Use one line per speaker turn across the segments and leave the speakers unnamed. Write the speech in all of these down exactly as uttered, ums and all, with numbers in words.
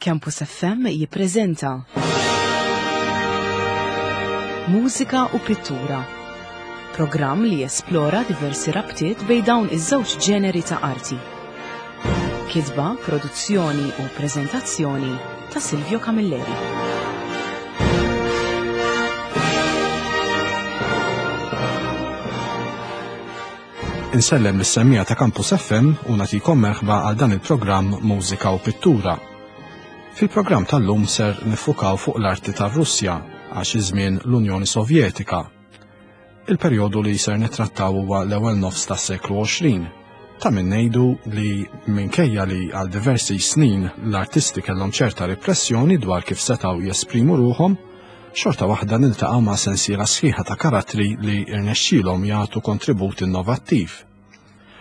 Campus F M jippreżenta Mużika u Pittura. Programm li jesplora diversi rabtiet bejn dawn iż-żewġ ġeneri ta' arti. Kitba, produzzjoni u preżentazzjoni ta' Silvio Camilleri.
Insellem lis-semmiegħa ta' Campus F M u nagħtikom merħba għal dan il-programm Mużika u Pittura. Fil-programm tal-lum ser nifukaw fuq l-arti tar-Russja għax iż-żmien l-Unjoni Sovjetika. Il-perjodu li ser nittrattaw huwa l-ewwel nofs tas-seklu għoxrin. Ta' min ngħidu li minkejja li għal diversi snin l-artisti kellhom ċerta repressjoni dwar kif setgħu jesprimu ruħhom, xorta waħda niltaqgħu ma' sensiela sħiħa ta' karattri li rnexxielhom jagħtu kontribut innovattiv.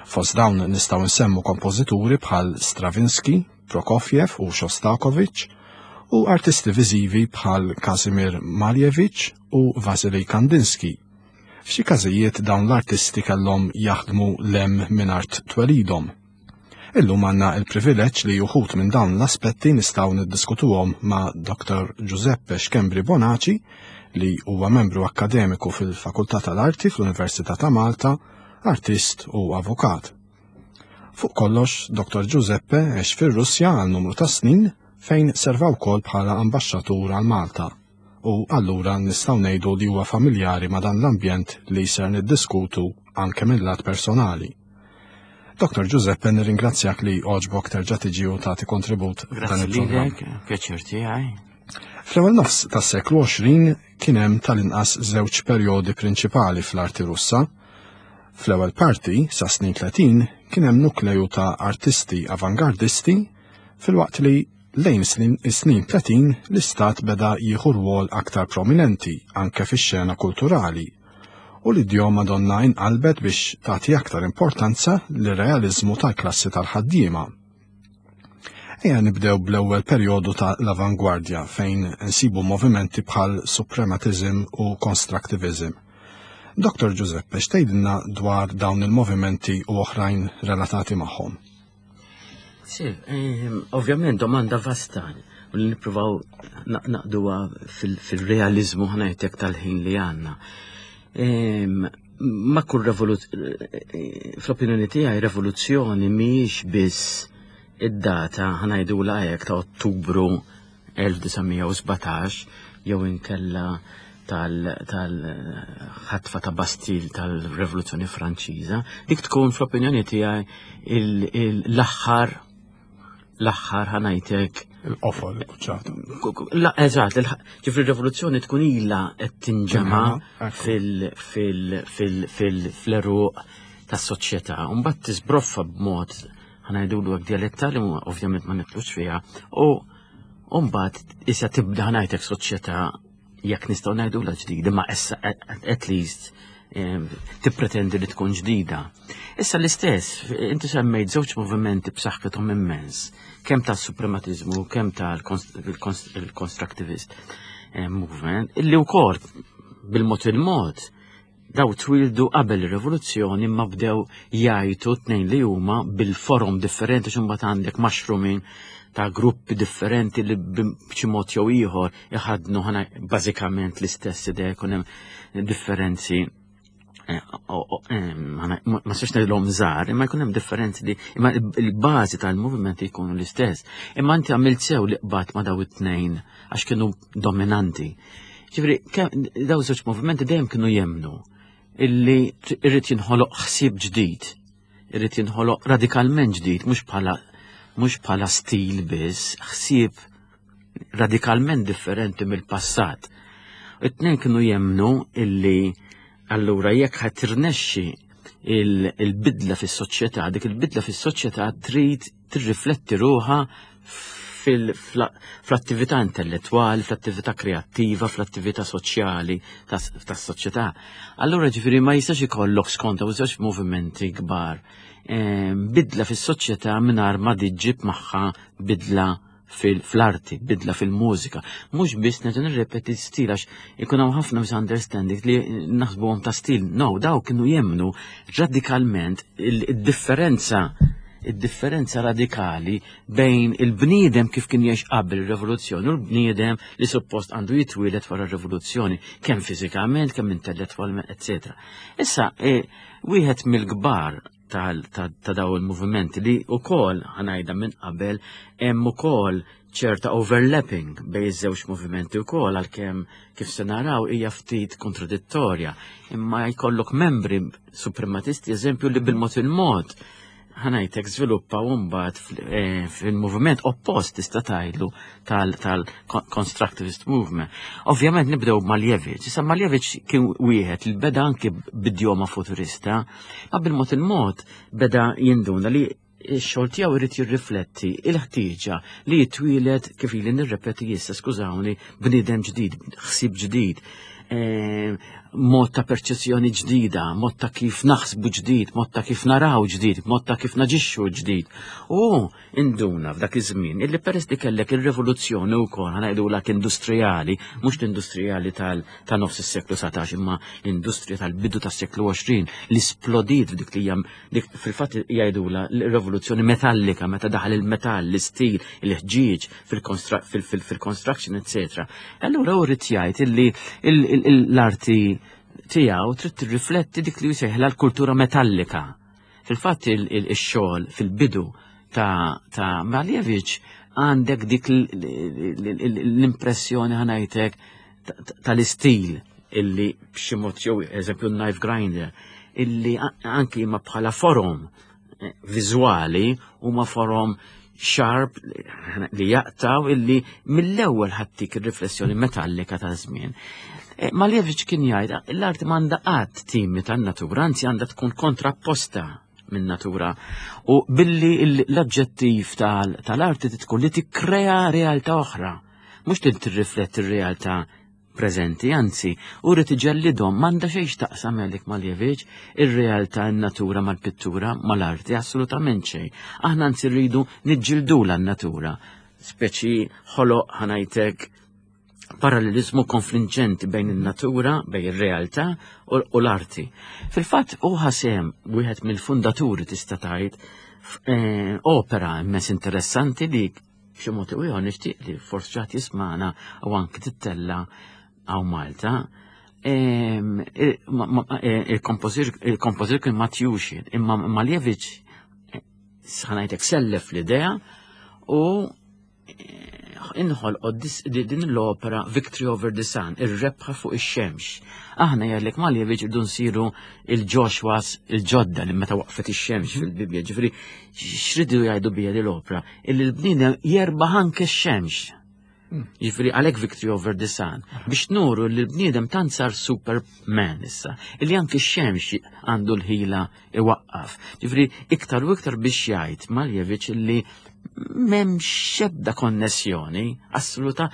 Fost dawn nistgħu nsemmu kompożituri bħal Stravinsky, Prokofjev u Shostakovich u artisti viżivi bħal Kazimir Malevich u Vasily Kandinsky. F'xi każijiet dawn l-artisti kellhom jaħdmu lem minn art twelidhom. Illum għandna il-privileġġ li uħud minn dawn l-aspetti nistgħu niddiskutuhom ma' Doktor Giuseppe Schembri Bonaci, li huwa membru akkademiku fil-Fakultà tal-Arti fl-Università ta' Malta, artist u avukat. Fuq kollox, Doktor Giuseppe għex fir-Russja għal numru ta' snin fejn serva wkoll bħala ambaxxatur għal Malta. U allura nistgħu ngħidu li huwa familjari ma' dan l-ambjent li ser niddiskutu anke mill-lat personali. Doktor Giuseppe, nirringrazzjak li għoġbok terġa' tiġi u tagħti kontribut f'dan
Grazzi
il-programm.
lilek, pjaċir tiegħi.
Fl-ewwel nofs tas-seklu għoxrin kien hemm tal-inqas żewġ perjodi prinċipali fl-arti Russa. Fl-ewwel parti, sa snin tletin, kien hemm nukleju ta' artisti avangardisti, filwaqt li lejn snin, is-snin tletin l-istat beda jieħu rwol aktar prominenti anke fix-xena kulturali, u l-idjoma donna inqalbet biex tagħti aktar importanza lir-realiżmu tal-klassi tal-ħaddiema. Ejja nibdew bl-ewwel perjodu ta' l-avangwardja fejn nsibu movimenti bħal suprematism u constructivism. Doktor Giuseppe, x'tgħidilna dwar dawn il-movimenti u oħrajn relatati magħhom?
Sì, ehm, ovvjament domanda vasta u li nippruvaw na-, naqduha fil-, fil-realizmu ħanajtek tal-ħin li għandna. Ehm, ma kull revoluz-, eh, fl-opinjoni tiegħi revoluzzjoni mhijiex biss id-data ħanajdula hekk ta' Ottubru elf disa' mija u sbatax jew inkella tal-, tal-ħatfa ta' Bastille tal-Revoluzzjoni Franċiża, dik tkun fl-opinjoni tiegħi il-, il-, l-aħħar, l-aħħar ħanajtek
Il-qofol, il-quċċata.
Ku-, ku-, la, eżatt, il-ħ-, ġifri r-rivoluzzjoni tkun ilha qed tinġema'
Tinġema', ekku.
fil-, fil-, fil-, fil-, fl-eruq tas-soċjetà. U mbagħad tiżbroffa b'mod ħanajdulu hekk dialettali, u ovvjament ma nitlux fiha, u, u mbagħad issa tibda ħanajtek soċjetà jekk nistgħu ngħidulha ġdida, ma issa at, at least, em, tippretendi li tkun ġdida. Issa l-istess, inti semmejt żewġ movimenti b'saħħithom immens, kemm tas-suprematiżmu, kemm tal-constructivist, eh, movement, illi wkoll bil-mod il-mod daw twildu qabel ir-rivoluzzjoni ma bdew jgħajtu tnejn li huma bil-forum differenti, x'imbagħad għandek mushrooming ta' gruppi differenti li b'xi mod jew ieħor iħadnu ħana bażikament l-istess idea, jkun hemm differenzi, eh, o-, o-, em, ħana, ma, ma nistax ngħidilhom żgħar, imma jkun hemm differenzi li imma il-, il-bażi tal-moviment jkunu l-istess. Imma inti għamilt sew li qbad ma' daw it-tnejn għax kienu dominanti. Ġifieri, ke-, daw żewġ movimenti dejjem kienu jemnu illi t-, irrid jinħoloq ħsieb ġdid, irrid jinħoloq radikalment ġdid, mhux bħala, mhux bħala stil biss, ħsieb radikalment differenti mill-passat. It-tnejn kienu jemnu illi allura jekk ħadd tirnexxi il-, il-bidla fis-soċjetà, dik il-bidla fis-soċjetà trid tirrifletti ruħha fil-, fl-, fl-attività intellettwali, fl-attività kreattiva, fl-attività soċjali tas-, tas-soċjetà. Allura ġifieri ma jistax ikollok skont hawn żewġ movimenti kbar. Ehm, bidla fis-soċjetà mingħajr ma tiġġib magħha bidla fil-, fl-arti, bidla fil-mużika. Mhux biss nerġa' nirrepeti stil għax ikun hawn ħafna misunderstanding li naħsbuhom ta' stil. No, daw kienu jemnu radikalment il-differenza id-differenza radikali bejn il-bniedem kif kien jgħix qabel ir-rivoluzzjoni u l-bniedem li suppost għandu jitwieled wara r-rivoluzzjoni, kemm fiżikament, kemm intellettwalment, eċetera. Issa, e, wieħed mill-kbar ta' daw il-movimenti li wkoll ħa ngħidha minn qabel hemm ukoll ċerta overlapping bejn iż-żewġ movimenti wkoll, għalkemm kif se naraw hija ftit kontradittorja. Imma jkollok membri suprematisti, eżempju, li bil-mod il-mod, ħa ngħidlek, żviluppaw mbagħad eh, fil-moviment oppost, tista' tgħidlu, tal-constructivist movement. Ovvjament nibdew Malevich. Issa Malevich kien wieħed li beda anki b'idjoma futurista, ma bil-mod il-mod beda jinduna li x-xogħol tiegħu jrid jirrifletti il-ħtieġa li jitwieled, kif ili nirrepeti issa, skużawni, bniedem ġdid, ħsieb ġdid, eh, mod ta' perċezzjoni ġdida, mod ta' kif naħsbu ġdid, mod ta' kif naraw ġdid, mod ta' kif naġixxu ġdid. U induna f'dak iż-żmien illi peress li kellek ir-rivoluzzjoni wkoll, ħa ngħidulek, industrijali, mhux l-industrijali ta' nofs is-seklu satax, imma l-industrija tal-bidu tas-seklu għoxrin li splodiet f'dik li hija dik fil-fatt jgħidula l-rivoluzzjoni metallika, meta daħal il-metall, l-istil, il-ħġieġ fil-construction, eccetera. Allura hu ried jgħid illi l-arti tiegħu trid tirrifletti dik li jsejħla l-kultura metallika. Fil-fatt il-xogħol fil-bidu ta', ta Malevich għandek dik l-impressjoni, ħa ngħidlek, tal-istil illi b'xi mod jew eżempju knife grinder illi anki ma bħala forom eh, viżwali huma forom sharp li jaqtaw, illi mill-ewwel ħa ttik ir-riflessjoni metallika ta' żmien. Eh, Malevich kien jgħid l-arti m'għandha qatt timita n-natura, anzi għandha tkun kontrapposta minn natura. U billi l-oġġettiv tal-arti tkun li tikkrea realtà oħra, mhux tirrifletti r-realtà preżenti, anzi, u rrid iġellidhom. M'għandha xejn x'taqsam għalik Malevich ir-realtà, n-natura mal-pittura, mal-arti, assolutament xejn. Aħna anzi rridu niġġildula n-natura. Speċi ħoloq, ħa ngħidlek, parallelizmu konfliġġenti bejn in-natura, bejn ir-realtà u l-arti. Fil-fatt u ħasem wieħed mill-fundaturi, tista' tgħid, eh, opera immens interessanti li b'xi mod ieħor nixtieq li forsi ġat jismana u anki tittella hawn Malta. Il-kompożitur kien Matiushin, imma Malevich, ħa ngħidlek, sellef l-idea u inħol din l-opera Victory Over the Sun, ir-rebħa fuq ix-xemx. Aħna, jgħidlek Malevich, irdu nsiru il-Joshuas il-ġodda li meta waqfet ix-xemx fil-Bibja, ġifieri x'ridu jgħidu bija l-opera? Illi l-bniedem jerbaħ anke x-xemx. Ġifieri għalhekk Victory Over the Sun, biex nuru li l-bniedem tant sar Superman issa, illi anke x-xemx għandu l-ħila iwaqqaf. Ġifieri iktar u iktar biex jgħid Malevich illi m'hemmx ebda konnessjoni, assoluta,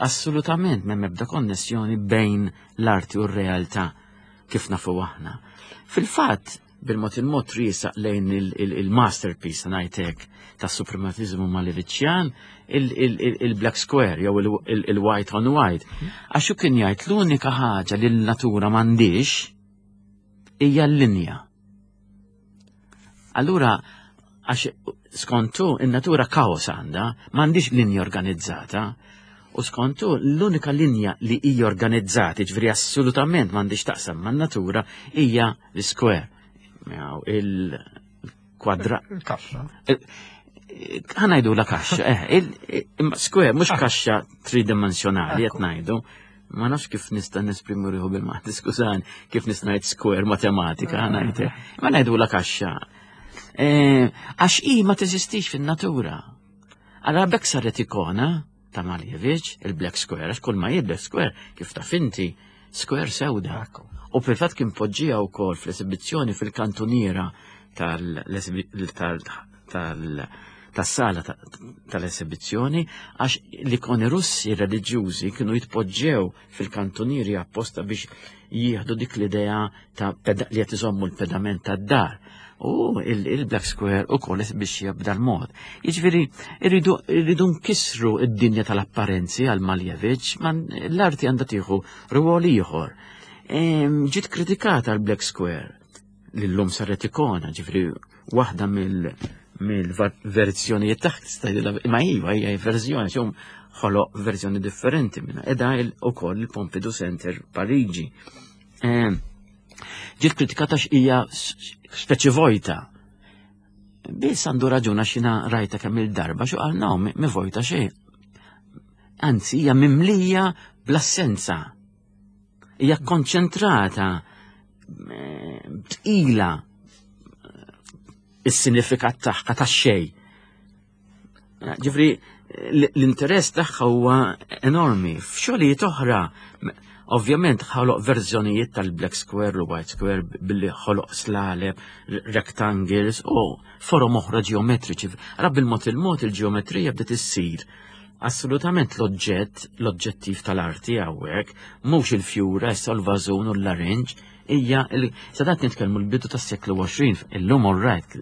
assolutament m'hemm ebda konnessjoni bejn l-arti u r-realtà kif nafu aħna. Fil-fatt, bil-mod il-mod riesaq lejn il-masterpiece, ngħidlek, ta' suprematizmu Maleviċjan, il-Black Square jew il-White on White. Għax hu kien jgħid l-unika ħaġa li l-natura m'għandix hija l-linja. Allura, għax skontu in-natura kaos għandha, m'għandix linja organizzata, u skontu l-unika linja li hija organizzata, ġifieri assolutament m'għandix taqsam man-natura, hija l-square. Il-kwadra.
Il-kaxxa.
Ħa ngħidu la kaxxa, eh, square, mhux kaxxa tridimensjonali qed ngħidu. Ma nafx kif nista' nesprimu ruħu bil-Malti, skużani, kif nista' ngħid square matematika, ħa ngħid. Ma ngħidu la kaxxa. Eh, għax i ma teżistix fin-natura. Allora bekk saret ikona ta' Malevich, il-Black Square, għax kull ma Black Square, kif taf inti, square sewda. U fil-fatt kien poġġija wkoll fl-esibizzjoni fil-kantuniera tal-sala tal-esibizzjoni, għax l-ikoni Russi reliġjużi kienu jitpoġġew fil-kantunieri apposta biex jieħdu dik l-idea ta' li qed iżommu l-pedament tad-dar. U il-Black Square u koll biex jibda l-mod. Jiġifieri, irridu nkissru id-dinja tal-apparenzi għal Malevich, ma l-arti għandha tieħu rwol ieħor. Ġiet kritikata l-Black Square, li l-lum saret ikona, ġifieri waħda mill mill-verżjonijiet taħt, imma iva hija verżjoni, xum ħoloq verżjoni differenti minna. Edha ukoll il-Pompidou Center Pariġi. Ġiet kritikata hija speċi vojta. Biss għandu raġuna xina rajta kemm il-darba xu qal no, mi vojta xejn. Anzi, hija mimlija bl-assenza. Hija konċentrata, tqila is-sinifikat tagħha tax-xejn. Ġifri, l-interess tagħha huwa enormi. F'xogħlijiet oħra, ovvjament ħoloq verżjonijiet tal-Black Square u White Square billi ħoloq slaleb, rectangles u forom oħra ġeometriċi. Ra bil-mod il-mod il-ġeometrija bdiet issir assolutament l-oġġett, l-oġġettiv tal-arti hawnhekk, mhux il-fjura, issa l-vażun u l-larinġ, hija sadat nitkellmu l-bidu tas-seklu għoxrin, illum all right,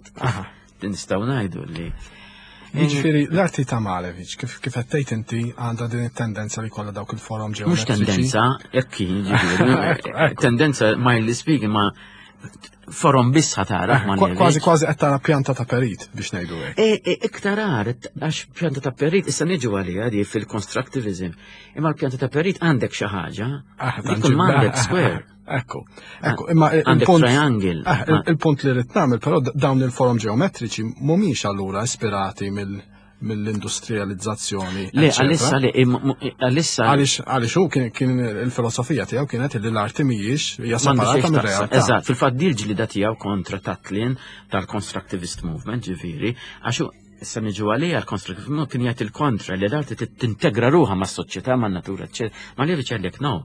nistgħu ngħidu li.
Jiġifieri l-arti ta' Malevich, kif kif qed tgħid inti għandha din it-tendenza li kollha dawk il-forom
Mhux
ġeometriċi.
tendenza, jekk kien, ġifieri, tendenza mildly speaking, ma forom biss tara
Kważi kważi qed tara pjanta ta' perit biex ngħidu hekk.
E, e, iktar għar, għax pjanta ta' perit, issa niġu għalija di fil-constructivism. Imma l-pjanta ta' perit għandek xi ħaġa, dik m'għandek square.
Ekku, ekku, imma
Għandek
il-punt
triangle.
Eh, il- il-punt li rrid nagħmel, però dawn il-forom ġeometriċi mhumiex allura ispirati mill mill-industrializzazzjoni.
Le,
eccetera.
għalissa li, għalissa.
Għaliex għaliex hu kien kien il-filosofija tiegħu kienet li l-arti mhijiex hija
M'għandu xejn
separata
x'taqsam.
mir-realtà.
Eżatt, fil-fatt dil ġlida tiegħu kontra Tatlin tal-Constructivist Movement, ġifieri, għax hu issa niġu għalija l-Constructivist Movement kien jgħid il-kontra li l-arti tintegra ruħha mas-soċjetà, man-natura, eċċetera. Malevich għalek no.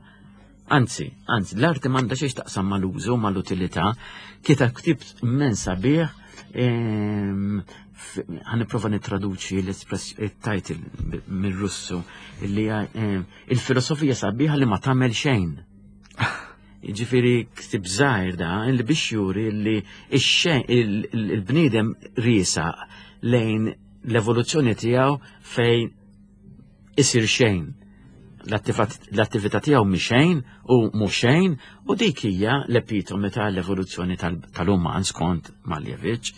Anzi, anzi, l-arti m'għandha xejn taqsam mal-użu, mal-utilità. Kiteb ktieb immens sabiħ, ehm, ħa nipprova nittraduċi l-title mir-Russu, illi hija ehm, il-filosofija sabiħa li ma tagħmel xejn. Ġifieri ktib żgħir da, illi biex juri li ix-xejn il-bniedem riesaq lejn l-evoluzzjoni tiegħu fejn isir xejn. L-attività tiegħu mi xejn u mhu xejn u dik hija l-epitomi tal-evoluzzjoni tal-uman skont Malevich.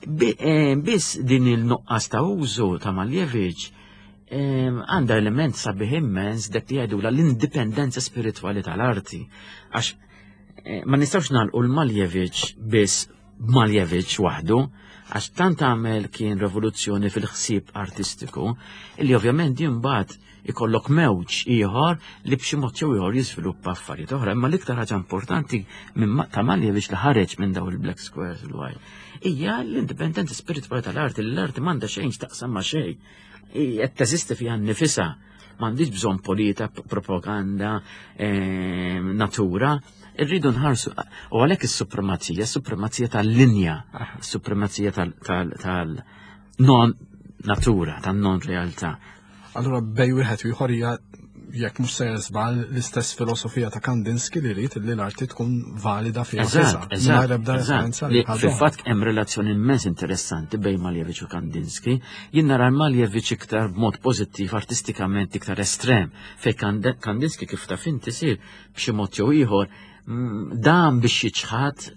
Eh, biss din il-nuqqas ta' użu ta' Malevich eh, għandha element sabiħ immens dak li jgħidu l-indipendenza spiritwali tal-arti. Għax eh, ma nistgħux nagħlqu l-Malevich biss Malevich waħdu, għax tant għamel kien rivoluzzjoni fil-ħsieb artistiku, illi ovvjament imbagħad ikollok mewġ ieħor li b'xi mod jew ieħor jiżviluppa affarijiet oħra. Imma l-iktar ħaġa importanti minn ta' Malevich li ħareġ minn daw il-Black Squares u l hija l-indipendenza spiritwali tal-arti, li l-arti m'għandha xejn x'taqsam ma' xejn. Qed teżisti fiha nnifisha, m'għandix bżonn polita, propaganda, ehm, natura, irridu nħarsu, u għalhekk is-supremazija, is-supremazija tal-linja, is-supremazija tal-non natura, tal-non realtà.
Allura bejn wieħed u ieħor hija jekk mhux sejjer żball l-istess filosofija ta' Kandinsky li rrid li l-arti tkun valida fiha
Eżatt,
mingħajr ebda
eżatt.
referenza
Li
li ħaġa oħra.
Fil-fatt hemm relazzjoni immens interessanti bejn Malevich u Kandinsky. Jien nara Malevich iktar b'mod pożittiv artistikament iktar estrem, fej Kand- Kandinsky kif taf inti sir b'xi mod jew ieħor mm, dam biex jiċħad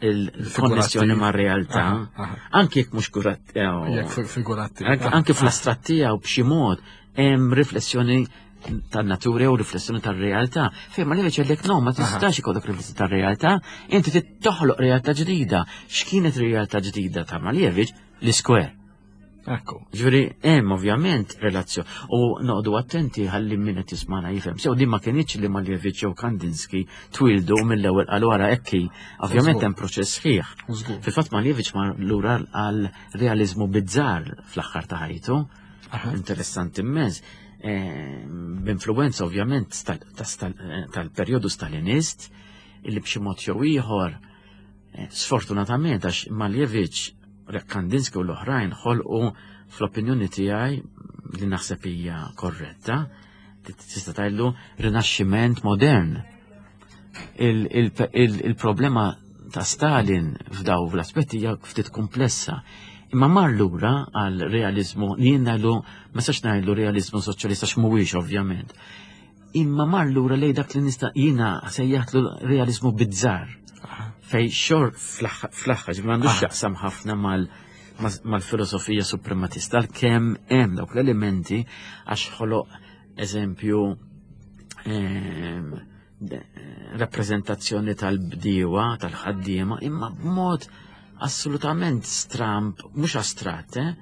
il-konnessjoni ma' realtà,
Aha, aha.
anki jekk mhux kurat
Jekk fi- figurattiv.
anke anke fl-astratt tiegħu b'xi mod hemm riflessjoni tan-natura u riflessjoni tar-realtà. Fejn Malevich għalek no, ma tistax ikollok riflessjoni tar-realtà, inti trid toħloq realtà ġdida. X'kienet realtà ġdida ta' Malevich? L-square.
Ekku.
Ġifieri, hemm ovvjament relazzjoni. U noqogħdu attenti ħalli min qed jismana jifhem. Sew din ma kienx li Malevich jew Kandinsky twildu mill-ewwel qalu wara ekki. Ovvjament
Żgur.
hemm proċess sħiħ.
Żgur.
Fil-fatt Malevich mar lura għal realizmu bizzar fl-aħħar ta' ħajtu.
Aha.
Interessanti immens. Eh, B'influenza ovvjament tal- ta' stal- eh, tal-perjodu stalinist illi b'xi mod jew ieħor eh, sfortunatament għax Malevich, Kandinsky u l-oħrajn ħolqu fl-opinjoni tiegħi li naħseb hija korretta, tista' tgħidlu rinaxximent modern. Il- il- il- Il-problema ta' Stalin f'daw l-aspetti hija ftit komplessa. Imma mar lura għal realizmu, li jien ngħidlu, ma sax ngħidlu realizmu soċjalista x'mhuwiex ovvjament. Imma mar lura lej dak li nista' jiena sejjaħtlu realizmu bizzar. Fej xor fl-aħħar, m'għandux
Aha.
jaqsam ħafna mal mal-filosofija suprematista, kemm hemm dawk l-elementi għax ħoloq eżempju ehm, rappreżentazzjoni tal-bdiewa, tal-ħaddiema, imma b'mod assolutament stramp, mhux astratt, eh?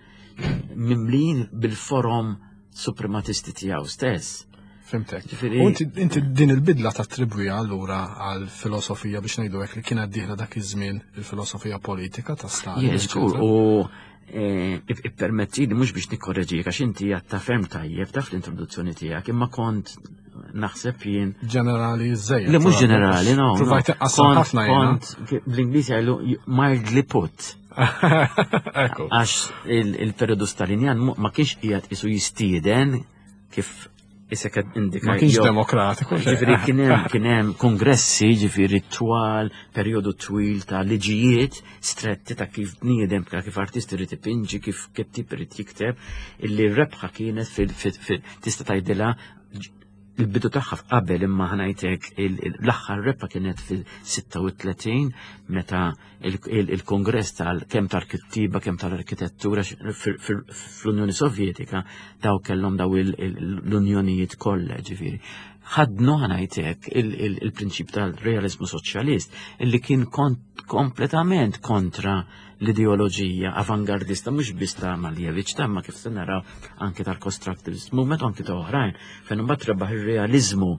Mimlin bil-forom suprematisti tiegħu stess.
Fhimtek. U inti din il-bidla tattribwiha allura għal filosofija biex ngħidu hekk li kienet dieħla dak iż-żmien, il-filosofija politika ta' Stalin.
Yes, u eh, ippermetti li mhux biex nikkorreġik għax inti għatta ferm tajjeb taf l-introduzzjoni tiegħek, imma kont naħseb jien.
Ġenerali żejjed.
Li mhux ġenerali, no.
Provajt ħafna.
Kont bl-Ingliż jgħidu mildly put. Għax il-periodu Stalinjan ma kienx qiegħed isu jistieden kif issa kad indika.
Ma kienx demokratiku.
Ġifieri kien hemm kien hemm kongressi, ġifieri twal, perjodu twil ta' liġijiet stretti ta' kif bniedem, ta' kif artist irid ipinġi, kif kittib irid jikteb, illi rebħa kienet fil tista' tgħidilha il-bidu tagħha qabel, imma ħa ngħidlek l-aħħar rebħa kienet fil-sitta u tletin meta il-kongress tal kemm tal-kittiba kemm tal-arkitettura fl-Unjoni Sovjetika, daw kellhom daw l-unjonijiet kollha, ġifieri. Ħadnu, ħa ngħidlek, il-prinċip tal-realizmu soċjalist illi kien kompletament kontra l-ideoloġija avangardista mhux biss ta' Malevich, ta' ma kif se naraw anke tal-constructivist movement, anke ta' oħrajn, fejn imbagħad rebaħ ir-realizmu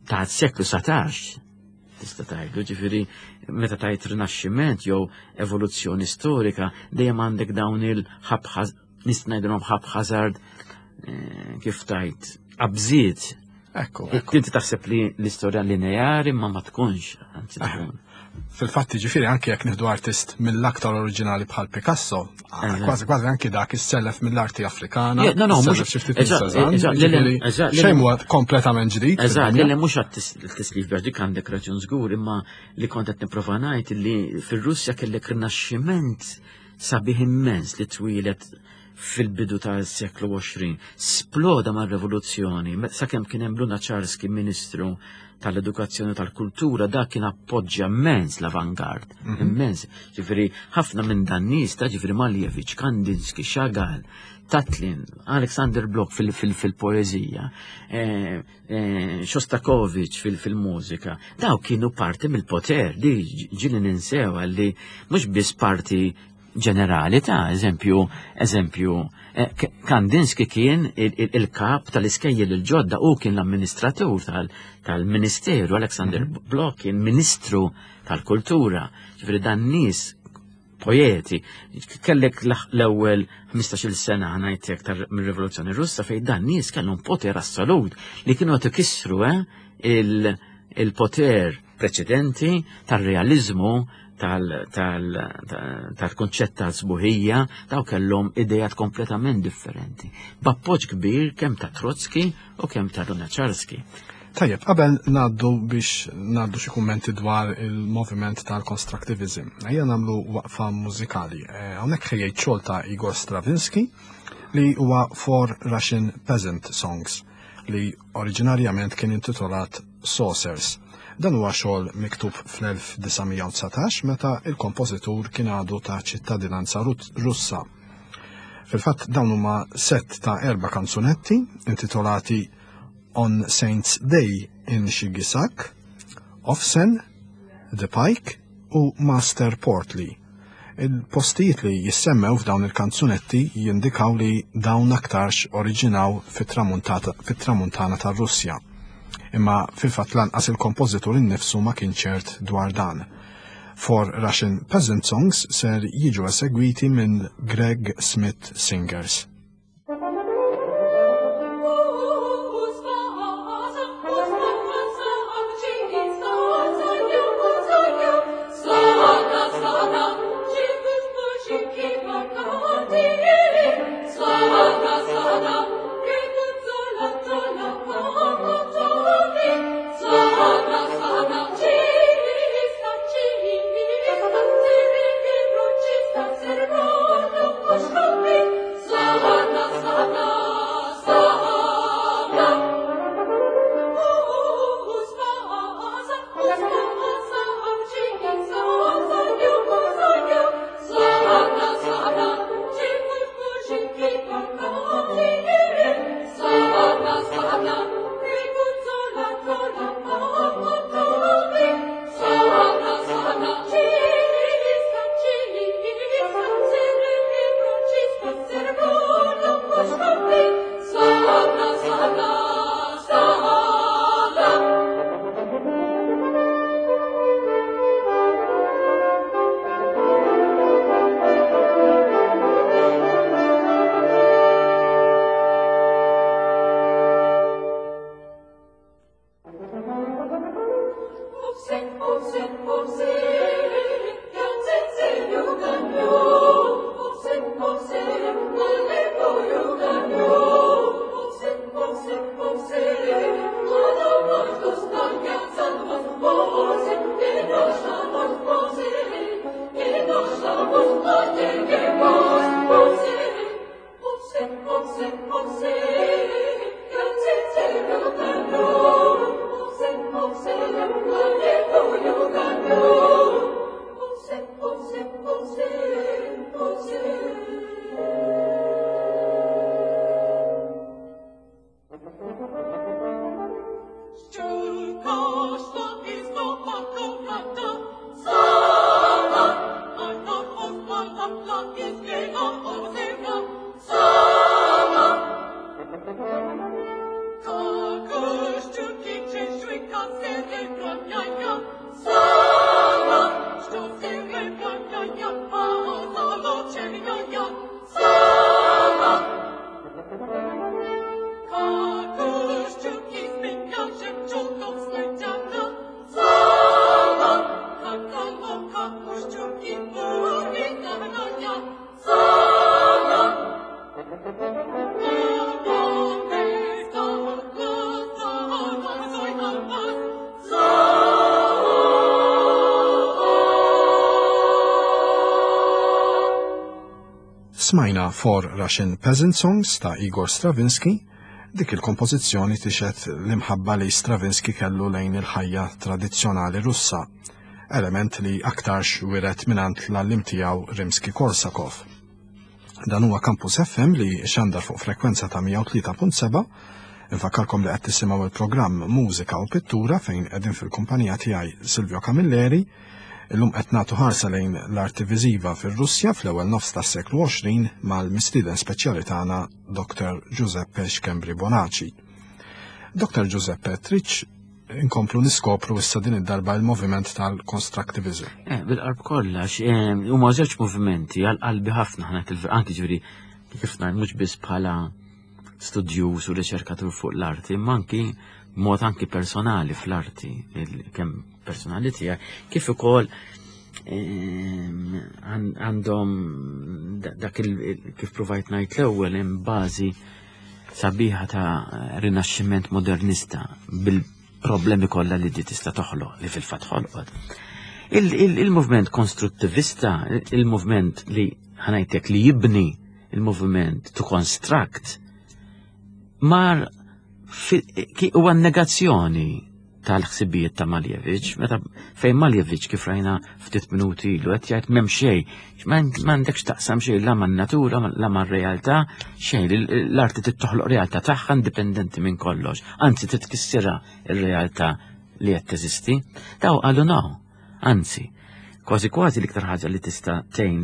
ta' seklu satax tista' tgħidu, ġifieri meta tajt rinaxximent jew evoluzzjoni storika dejjem għandek dawn il-ħabħaz, nista' ngħidilhom haphazard, eh, kif tajt qabżiet.
Ekku.
Inti taħseb li l-istorja lineari, ma ma tkunx, anzi tkun.
Fil-fatti, ġifieri anke jekk nieħdu artist mill-aktar oriġinali bħal Picasso, kważi kważi anke dak issellef mill-arti Afrikana.
No, no,
mhux xejn huwa kompletament ġdid.
Eżatt, le, mhux għat-tislif biex dik għandek raġun żgur, imma li kont qed nipprova ngħid li fir-Russja kellek rinaxximent sabiħ immens li twilet fil-bidu tal-seklu għoxrin. Sploda mar-rivoluzzjoni, sakemm kien hemm Lunacharsky ministru tal-edukazzjoni, tal-kultura, dak kien appoġġja immens l-avangard, mhm. immens. Ġifieri, ħafna minn dan nies ta' ġifieri Malevich, Kandinsky, Chagall, Tatlin, Alexander Blok fil-poezija, eh, eh, Shostakovich fil-mużika, daw kienu parti mill-poter, li ġieli ninsew li mhux biss parti ġenerali ta' eżempju, eżempju, eh, Kandinsky kien il-kap tal-iskejjel il-ġodda u kien l-amministratur tal-ministeru, Alexander mhm. Blok kien ministru tal-kultura, ġifieri dan nies poeti, kellek l-ewwel ħmistax-il sena, ħa ngħidlek, mir-Rivoluzzjoni Russa fejn dan nies kellhom poter assolut li kienu qed ikissru eh, il-poter preċedenti tal-realizmu, tal-konċett tal-sbuħija, daw kellhom idejat kompletament differenti. B'appoġġ kbir kemm ta' Trotsky u kemm ta' Lunacharsky.
Tajjeb, qabel ngħaddu biex ngħaddu xi kummenti dwar il-moviment tal-constructivism, ejja nagħmlu waqfa mużikali. Eh, hawnhekk ħejjejt xogħol ta' Igor Stravinsky li huwa Four Russian Peasant Songs li oriġinarjament kien intitolat Saucers. Dan huwa xogħol miktub fl-elf disa' mija u dsatax meta il-kompożitur kien għadu ta' ċittadinanza Russa. Fil-fatt dawn huma set ta' erba' kanzunetti intitolati On Saints Day in Shigisak, Ofsen, The Pike u Master Portly. Il-postijiet li jissemmew f'dawn il-kanzunetti jindikaw li dawn aktarx oriġinaw fit-tramuntana tar-Russja. Imma fil-fatt lanqas il-kompożitur innifsu ma kien ċert dwar dan. Four Russian Peasant Songs ser jiġu esegwiti minn Greg Smith Singers.
Slava.
Smajna Four Russian Peasant Songs ta' Igor Stravinsky. Dik il-kompożizzjoni tixhed l-imħabba li Stravinsky kellu lejn il-ħajja tradizzjonali Russa, element li aktarx wiret mingħand l-għalliem tiegħu Rimsky-Korsakov. Dan huwa Campus F M li xandar fuq frekwenza ta' mija u tlieta punt seba'. Infakkarkom li qed tisimgħu il-programm Mużika u Pittura fejn qegħdin fil-kumpanija tiegħi Silvio Camilleri. Illum qed nagħtu ħarsa lejn l-arti viżiva fir-Russja fl-ewwel nofs tas-seklu għoxrin mal-mistieden speċjali tagħna Doktor Giuseppe Schembri Bonaci. Doktor Giuseppe, tridx inkomplu niskopru issa din id-darba il-moviment tal-constructivism?
Eh, bil-qalb kollha, eh, huma żewġ movimenti għal qalbi ħafna ħna til-, anki ġifieri kif ngħid mhux biss bħala studjuż u riċerkatur fuq l-arti, imma anki b'mod anki personali fl-arti, il-, kemm personali tiegħi, kif ukoll, ehm, għan-, għandhom da-, dak il-, kif provajt ngħid l-ewwel hemm bażi sabiħa ta' rinaxximent modernista bil-problemi kollha li di tista' toħloq, li fil-fatt ħolqot. Il-, il-, il-movement konstruttivista, il-movement li ħanajtek li jibni, il-movement to construct, mar fi-, ki huwa negazzjoni tal-ħsibijiet ta' Malevich, meta fejn Malevich kif rajna ftit minuti ilu qed jgħid m'hemm xejn, m'għandekx taqsam xejn la man-natura, la mar-realtà, xejn, l-, l-arti trid toħloq realtà tagħha indipendenti minn kollox, anzi trid tkissirha r-realtà li qed teżisti. Daw qalu no, anzi, kważi kważi l-iktar ħaġa li tista' tgħin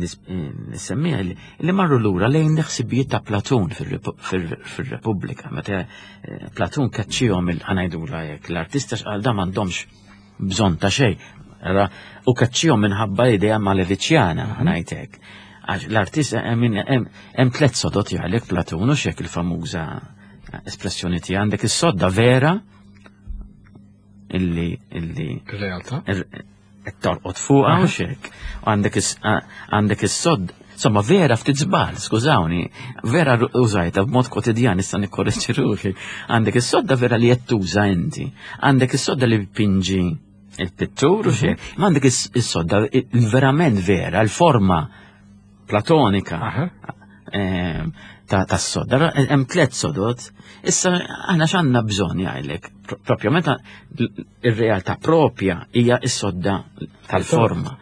nissemmiha li, li marru lura lejn l-ħsibijiet ta' Platun fir-Repu-, fir-, fir-Repubblika, meta, eh, Platun kaċċihom il-, ħanajdula hekk, l-artista x'qal da m'għandhomx bżonn ta' xejn, ara, u kaċċihom minħabba idea Maleviċjana,
Mhm.
ħanajd hekk. Għax l-artista hemm, hemm, hemm tliet sodot jgħalek Platun, u x'hekk il-famuża espressjoni tiegħek, għandek is-sodda vera illi, illi
Ir-realtà?
Ir-, qed torqod fuqha u
Aha.
x'hekk. U għandek is-, a-, għandek is-sodd, insomma vera ftit żball, skużawni, vera ru-, użajta b'mod kwotidjan issa nikkorreġi ruħi. Għandek is-sodda vera li qed tuża inti, għandek is-sodda li pinġi il-pittur u x'hekk,
Mhm.
ma għandek is-, is-sodda il-verament vera, l-forma platonika.
Aha.
Ehm, ta', ta' sodda. Ra-, hemm tliet sodot. Issa aħna x'għandna bżonn jgħidlek, pro-, propju meta l-, ir-realtà propja hija s-sodda tal-forma.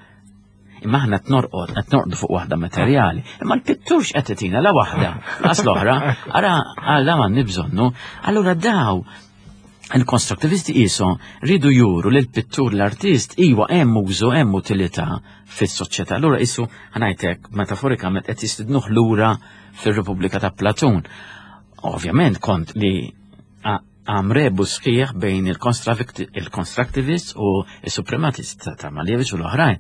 Imma aħna qed norqod, qed norqdu fuq waħda materjali. Imma l-pittur x'qed itina la waħda, laqas l-oħra, ara għal m'għandni bżonnu. Allura daw il-konstruktivisti qisu ridu juru lil pittur l-artist iwa hemm użu, hemm utilità fis-soċjetà. Allura qisu ħanajtek metaforikament qed jistidnuh lura fir-Repubblika ta' Platun. Ovvjament kont li a-, għamrebu sħiħ bejn il-konstravik-, il-constructivist u il-suprematist ta', ta' Malevich u l-oħrajn.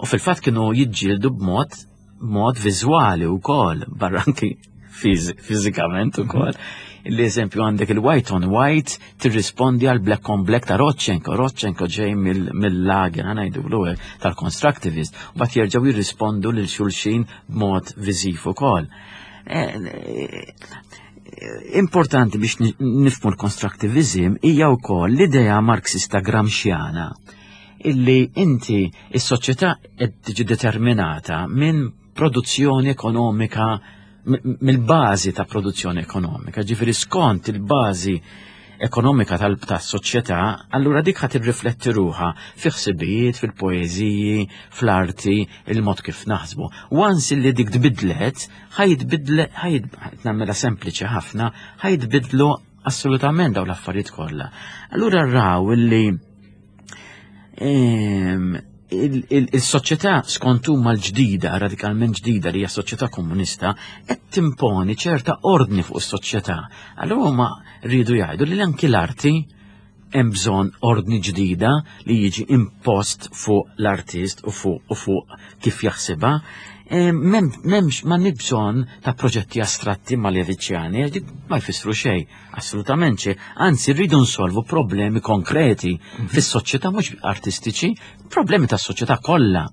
U fil-fatt kienu jiġġieldu b'mod, b'mod viżwali wkoll, barra anki fiz-, fiżikament ukoll. L-eżempju għandek il-white on white tirrispondi għal black on black ta' Rodchenko. Rodchenko ġej mill-, mill-lager, ħanajdulu hekk, tal-constructivist, u bat jerġgħu jirrispondu lil xulxin b'mod viżiv ukoll. Eh, eh, Importanti biex nifhmu l-constructivism hija wkoll l-idea marxista gramsciana illi inti is-soċjetà qed tiġi determinata minn produzzjoni ekonomika, mill-bażi ta' produzzjoni ekonomika, ġifieri skont il-bażi ekonomika tal-soċjetà, allura dik ħa tirrifletti ruħha fi ħsibijiet, fil-poeżiji, fl-arti, il-mod kif naħsbu. Once li dik tbidlet, ħa jitbidle, ħa nagħmilha sempliċi ħafna, ħa jitbidlu assolutament daw l-affarijiet kollha. Allura raw illi ehm, il-soċjetà skont huma l-ġdida, radikalment ġdida li hija soċjetà komunista, qed timponi ċerta ordni fuq is-soċjetà. Allura huma rridu jgħidu li anki l-arti hemm bżonn ordni ġdida li jiġi impost fuq l-artist u fuq u fuq kif jaħsibha. M'hemmx ma bżonn ta' proġetti astratti maleviċjani, dik ma jfissru xejn, assolutament xejn. Anzi, rridu nsolvu problemi konkreti mhm. fis-soċjetà, mhux artistiċi, problemi tas-soċjetà kollha.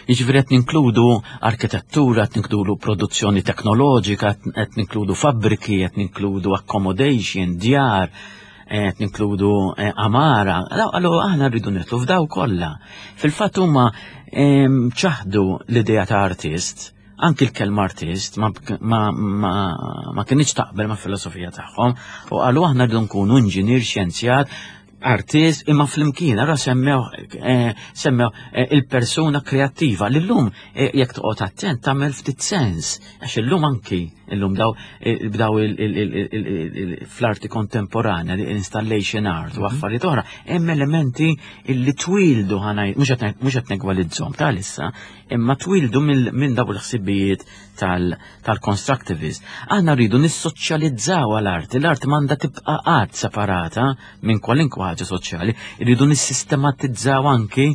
Jiġifieri qed ninkludu arkitettura, qed ninkludu produzzjoni teknoloġika, qed ninkludu fabbriki, qed ninkludu accommodation, djar, qed ninkludu eh, amara. Allura aħna rridu nidħlu f'daw kollha. Fil-fatt huma ċaħdu l-idea ta' artist, anki l-kelma artist ma, ma, ma, ma kinitx taqbel ma' filosofija tagħhom u qalu aħna rridu nkunu inġinier, xjenzjat, artist, imma flimkien, ara semmew eh, semmew eh, il-persuna kreattiva li llum eh, jekk toqgħod attent tagħmel ftit sens, għax illum anki illum daw bdaw fl-arti kontemporanja, l-installation art u mhm. affarijiet oħra, hemm elementi illi twildu ħanaj, mhux qed negwalizzhom tal-issa, imma twildu minn daw l-ħsibijiet tal-constructivist. Aħna rridu nissoċjalizzaw għal-arti, l-arti m'għandha tibqa' qatt separata minn kwalinkwa ħaġa soċjali, rridu nissistematizzaw anki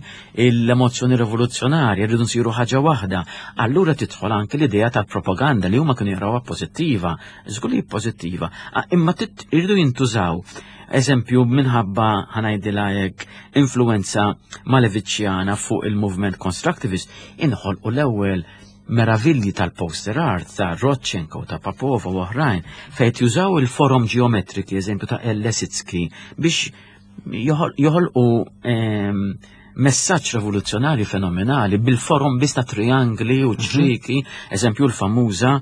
l-emozzjoni rivoluzzjonarja, rridu nsiru ħaġa waħda. Allura tidħol anki l-idea tal-propaganda li huma kienu jarawha pożittiva, żgur li pożittiva, imma rridu jintużaw. Eżempju, minħabba, ħa ngħidilha hekk, influenza maleviċjana fuq il-movement constructivist, inħolqu l-ewwel meravilji tal-poster art ta' Rodchenko, ta' Popova u oħrajn, fejn jużaw il-forom ġeometriki, eżempju ta' El Lissitzky, biex joħolqu ehm, messaġġ rivoluzzjonarju fenomenali bil-forom biss ta' triangli u mhm. ċrieki, eżempju l-famuża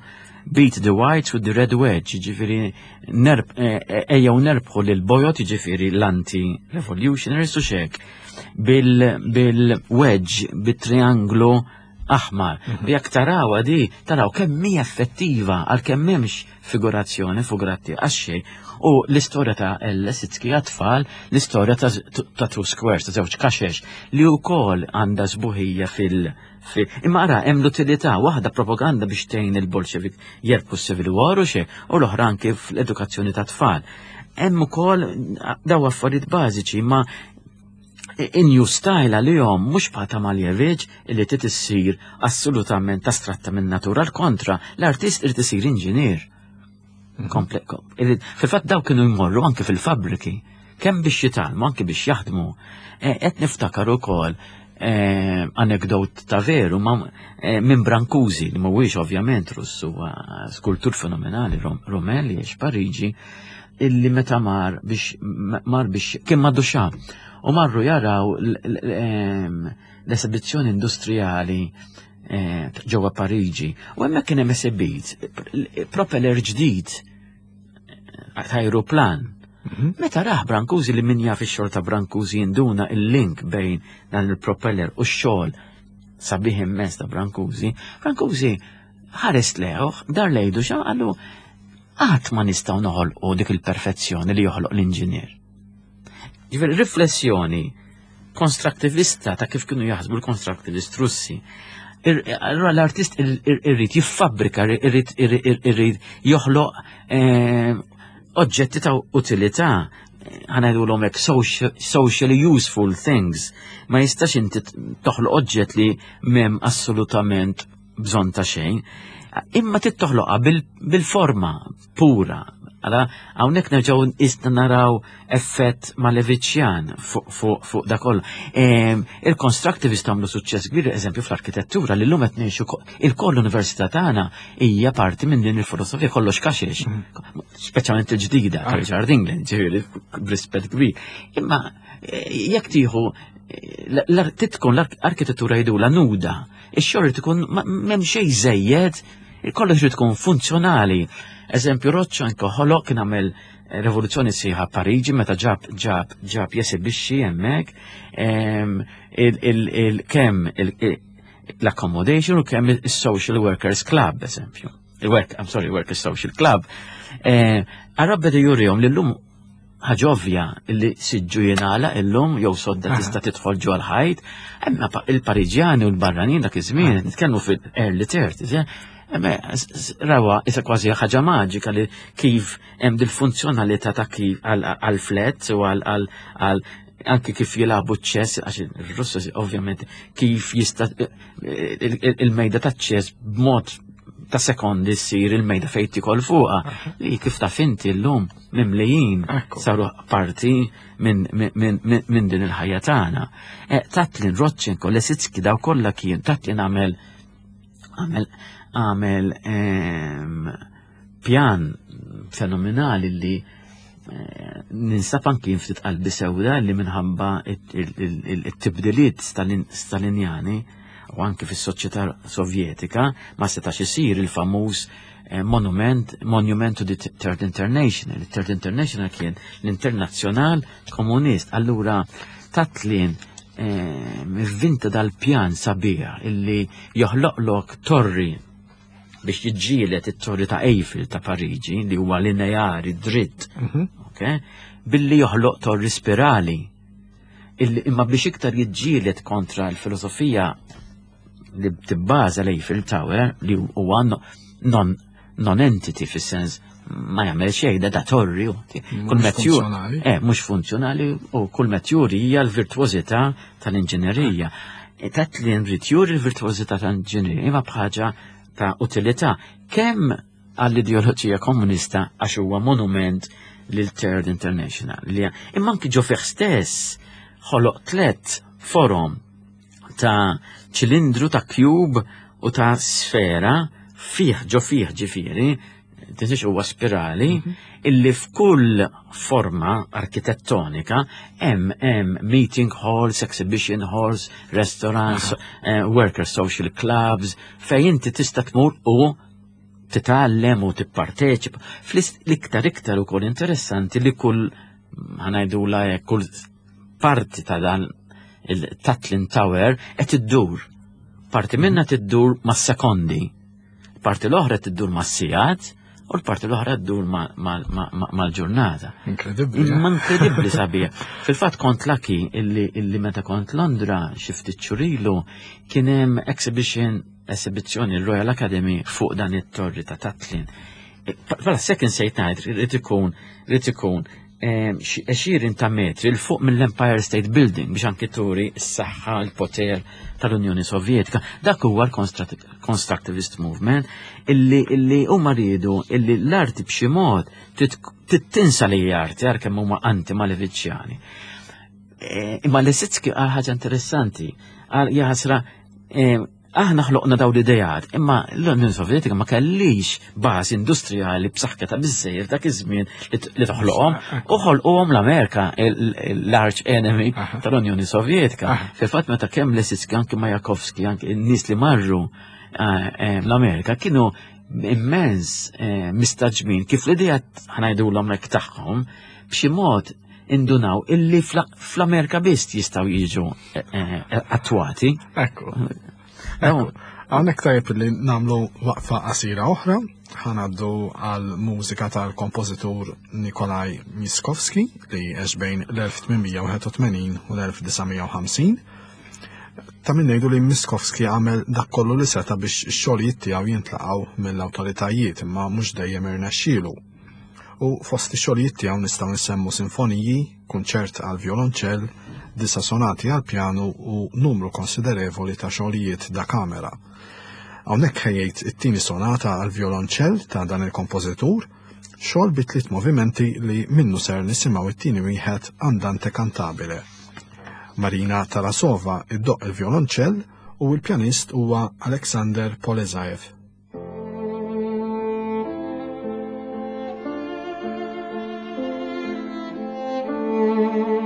"Beat the Whites with the Red Wedge", ġifiri eh, eh, ejjew nerbħu lil bojod, ġifiri l-anti-revolutionaries u xek, bil-wedge, bil-trianglu aħmar. Mhm. Jekk taraw di, taraw kemm hija effettiva għal kemm m'hemmx figurazzjoni figuratti għax. U l-istorja ta' El Lissitzky għat-tfal, l-istorja ta' Two Squares, ta' żewġ kaxex, li wkoll għandha sbuħija fil- Imma ara, hemm l-utilità, waħda propaganda biex tgħin il-Bolxevik jerbħu s-Civil War u xejn, u l-oħra anke fl-edukazzjoni ta' tfal. Hemm ukoll daw affarijiet bażiċi, ma in new style għalihom mhux bħal Malevich illi trid issir assolutament astratta minn natura, l-kontra, l-artist irid isir inġinier. Mhm. Fil-fatt daw kienu jmorru anke fil-fabriki, kemm biex jitgħallmu, anke biex jaħdmu. E, qed niftakar ukoll e, anekdot ta' veru ma e, minn Brancusi, li mhuwiex ovvjament Russu, skultur fenomenali Rumen li jgħix Pariġi, illi meta mar biex mar biex kien ma' Duchamp u marru jaraw l-esibizzjoni industrijali eh, ġewwa Pariġi u hemmhekk kien hemm esibit propeller ġdid eh, ta' aeroplan. Mhm. Meta raħ Brancusi, li min jaf ix-xogħol ta' Brancusi jinduna il-link bejn dan il-propeller u x-xogħol sabiħ immens ta' Brancusi, Brancusi ħares lejh, dar lejn Duchamp, qallu qatt ma nistgħu noħolqu dik il-perfezzjoni li joħloq l-inġinier. Ġifieri riflessjoni konstrattivista ta' kif kienu jaħsbu l-konstrattivist Russi. Allura l-artist irrid jiffabbrika, irrid irrid joħloq eh, oġġetti ta' utilità, ħa ngħidu hekk, socially useful things. Ma jistax inti toħloq oġġett li m'hemm assolutament bżonn ta' xejn, imma trid toħloqha bil-forma pura. Għala, hawnhekk nerġgħu isna naraw effett Maleviċjan fuq fu, da kollu. Il-constructivist għamlu suċċess kbir, eżempju, fl-arkitettura li llum qed ngħixu il-koll l-università tagħna hija parti minn din il-filosofija kollox kaxex, mm. speċjalment il-ġdida ta' Richard England, ġifieri b'rispett kbir. Imma eh, jekk tieħu eh, tkun l-arkitettura jgħidulha nuda, ix-xogħol tkun m'hemm xejn żejjed, kollox irid tkun funzjonali. Eżempju, Rodchenko ħoloq kien għamel rivoluzzjoni sħiħa Pariġi meta ġab ġab ġab jesibixxi hemmhekk kemm l-accommodation u kemm il-Social Workers Club, eżempju. Il-Work, I'm sorry, Workers Social Club. Għarab beda jurihom li llum ħaġa ovvja li siġġu jingħalaq illum jew sodda tista' tidħol ġo l-ħajt, imma il-Pariġjani u l-barranin dak iż-żmien, nitkellmu fil-early thirties, rawa isa kważi ħaġa maġika li kif hemm dil-funzjonalità ta' kif għal-flat u għal anki kif jilagħbu ċess, għax il-Russu ovvjament kif jista' il-mejda ta' ċess b'mod ta' sekondi ssir il-mejda fejn tikol fuqha li kif taf inti llum mimlijin saru parti minn min din il-ħajja tagħna. E, Tatlin, Rodchenko, Lesitski daw kollha kien Tatlin għamel għamel għamel pjan fenomenali li eh, ninsab anki ftit qalbi sewda li minħabba it-tibdiliet stalinjani u anki fis-soċjetà sovjetika ma setax isir il-famuż eh, monument Monument to the Third International. Il-Third International kien l-Internazzjonal Komunist. Allura Tatlin eh, ivvinta dal-pjan sabiħ illi joħloqlok torri biex jiġġielet it-torri ta' Eiffel ta' Pariġi li huwa lineari dritt, mhm. okay? Billi joħloq torri spirali. Imma biex iktar jiġġielet kontra l-filosofija li tibbaża l-Eiffel Tower li huwa non non-entity fis-sens ma jagħmel xejn da torri
kull
metjur eh mhux funzjonali u kull metjur hija l-virtuożità tal-inġinerija. E, Tatlin ried juri l-virtuożità tal-inġinerija imma bħaġa ta' utilità kemm għall-ideoloġija komunista għax huwa monument lil Third International. Li imma anki ġo fih stess ħoloq tlet forom ta' ċilindru, ta' cube u ta' sfera fih ġo fih ġifieri, tinsiex huwa spirali, mhm. illi f'kull forma arkitettonika hemm hemm meeting halls, exhibition halls, restaurants, uh, worker social clubs, fejn inti tista' tmur u titgħallem u tipparteċipa. Fl-iktar iktar ukoll interessanti li kull ħa ngħidu la kull parti ta' dan il-Tatlin Tower qed iddur. Parti minna tiddur mas-sekondi, parti l-oħra tiddur mas-sigħat u l-parti l-oħra ddur mal-ġurnata.
Inkredibbli.
Imma inkredibbli sabiħ. Fil-fatt kont lucky illi, illi meta kont Londra xi ftit xhur ilu kien hemm exhibition esibizzjoni l-Royal Academy fuq dan it-torri ta' Tatlin. Bħala second sejt ngħid rrid ikun rrid ikun għexieren ta' metri 'l fuq mill-Empire State Building biex anki turi s-saħħa, l-poter tal-Unjoni Sovjetika. Dak huwa l-Constructivist Movement illi illi huma riedu illi l-arti b'xi mod tinsa li hija arti għar kemm huma anti-Maleviċjani. E, imma Lesitski għal ħaġa interessanti, għal jaħasra aħna ħloqna daw l-idejat, imma l-Unjoni Sovjetika ma kellix bażi industrijali b'saħħitha biżejjed dak iż-żmien li toħloqhom u ħolquhom l-Amerika, l-arch enemy tal-Unjoni Sovjetika. Fil-fatt meta kemm Lesitski anke Majakovski anke n-nies li marru eh, l-Amerika kienu immens eh, mistagħġbin kif l-idejat ħa ngħidulhom hekk tagħhom b'xi mod indunaw illi fl-Amerika biss jistgħu jiġu eh, attwati.
Ekku. Hawnhekk tajjeb li nagħmlu waqfa qasira oħra, ħa ngħaddu għal mużika tal-kompożitur Nikolaj Miskovski li għex bejn l-elf tmien mija u wieħed u tmenin u l-elf disa' mija u ħamsin. Ta' min ngħidu li Miskovski għamel dak kollu li seta' biex ix-xogħlijiet tiegħu jintlaqgħu mill-awtoritajiet imma mhux dejjem irnexxielu. U fost ix-xogħlijiet tiegħu nistgħu nsemmu sinfoniji, kunċert għal violonċell, disa sonati għal pjanu u numru konsiderevoli ta' xogħlijiet da kamera. Hawnhekk ħejjejt it-tieni sonata għal violonċell ta' dan il-kompożitur Xogħol bi tliet movimenti li minnu ser nisimgħu it-tieni wieħed Andante Cantabile. Marina Tarasova iddoqq il-violonċell u l-pjanist huwa Alexander Polezaev.
Thank you.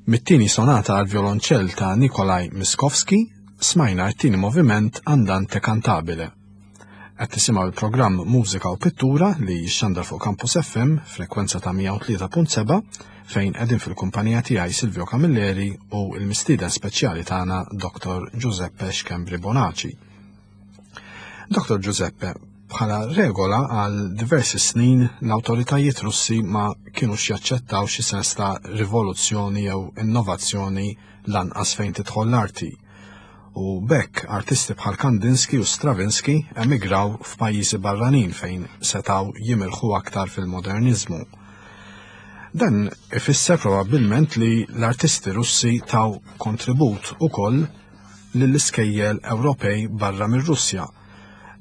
Mit-tieni sonata għal violonċell ta' Nikolaj Miskovski smajna t-tieni moviment Andante Cantabile. Qed tisimgħu il-programm Mużika u Pittura li jixxandar fuq Campus F M frekwenza ta' mija u tlieta punt seba' fejn qegħdin fil-kumpanija tiegħi Silvio Camilleri u l-mistieden speċjali tagħna Doktor Giuseppe Schembri Bonaci. Doktor Giuseppe, bħala regola għal diversi snin l-awtoritajiet Russi ma kienux jaċċettaw xi sens ta' rivoluzzjoni jew innovazzjoni, lanqas fejn tidħol l-arti. U b'hekk artisti bħal Kandinsky u Stravinsky emigraw f'pajjiżi barranin fejn setaw jimirħu aktar fil-modernizmu. Dan ifisser probabbilment li l-artisti Russi taw kontribut ukoll lill-iskejjel Ewropej barra mir-Russja.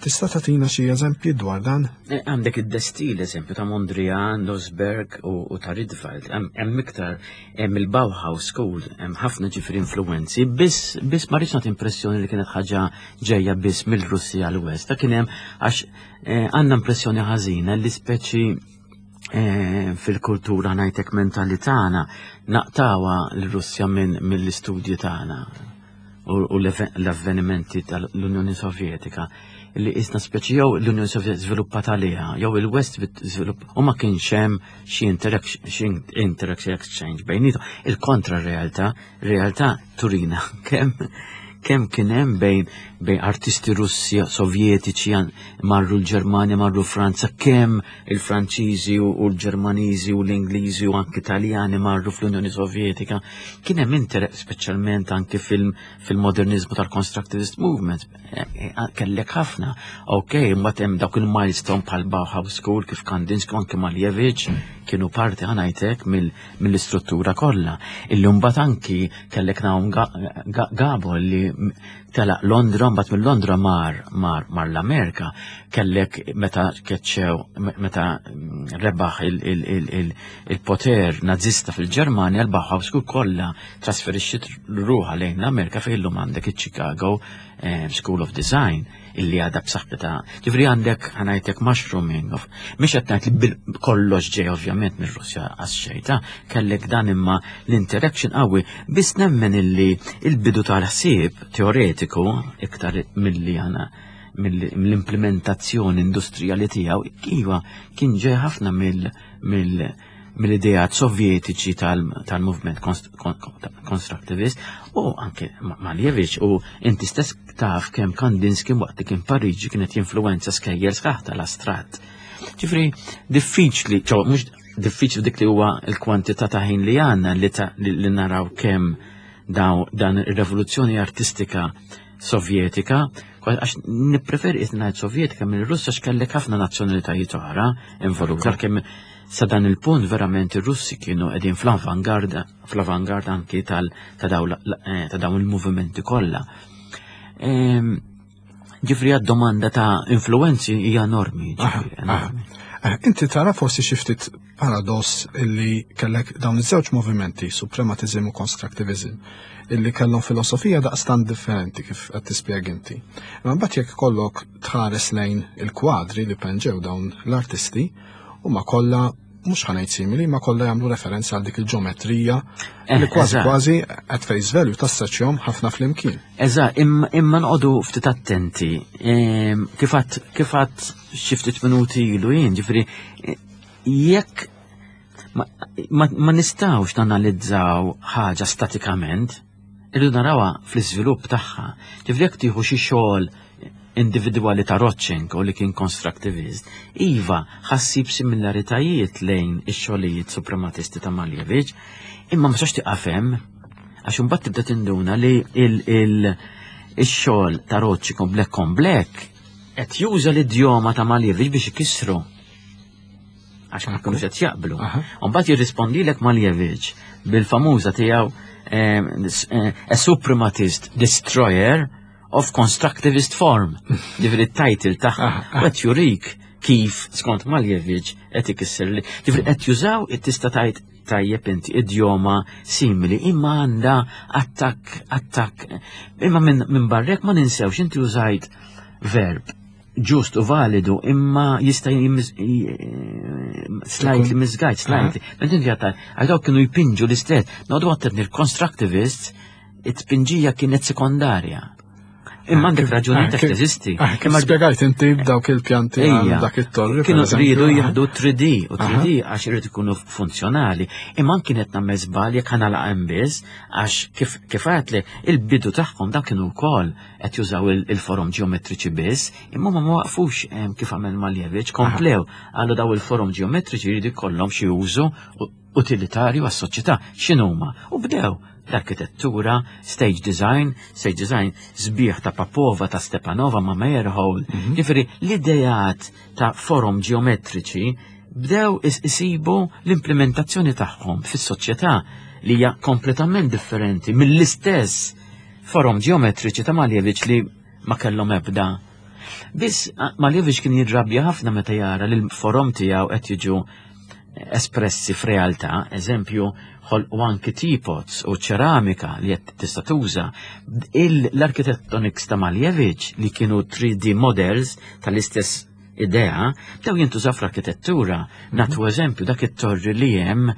Tista' tagħtina xi eżempji dwar dan?
Eh, Għandek id-De Stijl, eżempju, ta' Mondrian, Lossberg u, u ta' Rietveld. Hemm iktar, hemm il-Bauhaus School, hemm ħafna ġifieri influenzi, biss biss ma rridx nagħti impressjoni li kienet ħaġa ġejja biss mill-Russja l-West. Ta' kien hemm għax eh, għandna impressjoni ħażina li speċi eh, fil-kultura ngħidlek mentali tagħna naqtgħuha l-Russja minn mill-istudji tagħna u u l-avvenimenti tal-Unjoni Sovjetika li isna speċi jew l-Unjoni Sovjetika żviluppat għaliha jew il-West żvilupp u ma kienx hemm xi interaction interaction exchange bejnietom. Il-kontra realtà, realtà turina kemm kemm kien hemm bejn bejn artisti Russi, Sovjetiċi marru l-Ġermanja, marru Franza, kemm il-Franċiżi u u l-Ġermaniżi u l-Ingliżi u anki Italjani marru fl-Unjoni Sovjetika. Kien hemm interess speċjalment anki fil- fil-modernizmu tal-Constructivist Movement. Eh, eh, Kellek ħafna. Ok, mbagħad hemm dawk il-milestone bħal Bauhaus School kif Kandinsky u anki Malevich kienu parti, ħa ngħidlek, mill-istruttura kollha. Illi mbagħad anki kellek Naum Gabo li telaq Londra, mbagħad minn Londra mar mar mar l-Amerika, kellek meta keċċew, meta mm, rebaħ il-poter nazista fil-Ġermanja, l-Bauhaus School kollha trasferixxiet ruħha lejn l-Amerika fejn illum għandek iċ-Chicago eh, School of Design illi għadha b'saħħitha. Ġifieri għandek, ħa ngħidlek, mushrooming of mhix qed ngħid li kollox ġej ovvjament mir-Russja għax xejta, kellek dan imma l-interaction qawwi, biss nemmen illi il-bidu tal-ħsieb teoretiku iktar milli għana mill-implementazzjoni industrijali tiegħu iva kien ġej ħafna mill mill mill-ideat sovjetiċi tal-movement constructivist u anke Malevich. U inti stess taf kemm Kandinsky waqt li kien Pariġi kienet jinfluenza skejjel sħaħ tal-astratt. Ġifieri diffiċli, ċo, mhux diffiċli dik li huwa l-kwantità ta' ħin li għandna li naraw kemm daw dan ir-rivoluzzjoni artistika sovjetika, għax nippreferi ngħid sovjetika minn Russja x'kellek ħafna nazzjonalitajiet oħra involuta, kemm sa dan il-punt verament ir-Russi kienu qegħdin fl-avangarda fl-avangarda anki tal ta' eh, dawn il-movimenti kollha. Ġifieri għad-domanda ta' influenzi hija enormi.
Eh, inti tara forsi xi ftit paradoss illi kellek dawn iż-żewġ movimenti, suprematizm u constructivism, illi kellhom filosofija daqstant differenti kif qed tispjega inti. Imma mbagħad jekk kollok tħares lejn il-kwadri li penġew dawn l-artisti, huma kollha, mhux ħa ngħid simili, ma kollha jagħmlu referenza għal dik il-ġeometrija
Eh,
li kważi
eżatt.
kważi at face value tassoċjahom ħafna flimkien.
Eżatt, imma imma noqogħdu ftit attenti. Ehm, Kif għedt kif għedt xi ftit minuti ilu jien, ġifieri eh, jekk ma, ma, ma nistgħux nanalizzaw ħaġa statikament, irridu narawha fl-iżvilupp tagħha. Ġifieri jekk tieħu xi xogħol individwali ta' Rodchenko li kien constructivist, iva, ħa ssib similaritajiet lejn ix-xogħlijiet suprematisti ta' Malevich, imma ma sax tieqaf hemm, għax imbagħad tibda tinduna li il- il- ix-xogħol ta' Rodchenko Black on Black qed juża l-idjoma ta' Malevich biex ikissru. Għax ma jkunux qed jaqblu.
Aha.
U mbagħad jirrispondilek Malevich bil-famuża tiegħu eh, eh, "A Suprematist Destroyer of Constructivist Form". Ġifieri t-title tagħha. U qed jurik kif skont Malevich qed ikisser li. Ġifieri qed jużaw, tista' tgħid tajjeb inti, idjoma simili imma għandha attakk attakk. Imma minn min barrek ma ninsewx inti użajt verb Ġust u validu, imma jista' slightly misguided, slightly. Mentin għatta, għax kienu jpinġu l-istess. Noqogħdu attenti, il-constructivists, it-tpinġija kienet sekondarja. Imma għandek raġuni ta' teżisti.
Kif spjegajt inti b'dawk il-pjanti dak it-torri.
Kienu rridu jieħdu three D u three D għax irid ikunu funzjonali. Imma kienet nagħmel żball jekk ħa nagħlaq biss, għax kif għedtli il-bidu tagħhom dak kienu wkoll qed jużaw il-forom ġeometriċi biss, imma ma waqfux kif għamel Malevich, komplew għallu daw il-forom ġeometriċi jridu jkollhom xi użu utilitarju għas-soċjetà. X'inhuma? U bdew l-arkitettura, stage design, stage design sbieħ ta' Popova, ta' Stepanova, ma' Meyerhold. Mm -hmm. Ġifieri, l-idejat ta' forom ġeometriċi bdew isibu l-implementazzjoni tagħhom fis-soċjetà li hija kompletament differenti mill-istess forom ġeometriċi ta' Malevich li ma kellhom ebda. Biss Malevich kien jirrabja ħafna meta jara li l-forom tiegħu qed jiġu espressi f'realtà, eżempju, ħolqu anki teapots u ċeramika li qed tista' tuża. L-architectonics ta' Malevich li kienu three D models tal-istess idea, bdew jintużaw fl-arkitettura. Nagħtu eżempju, dak it-torri li hemm,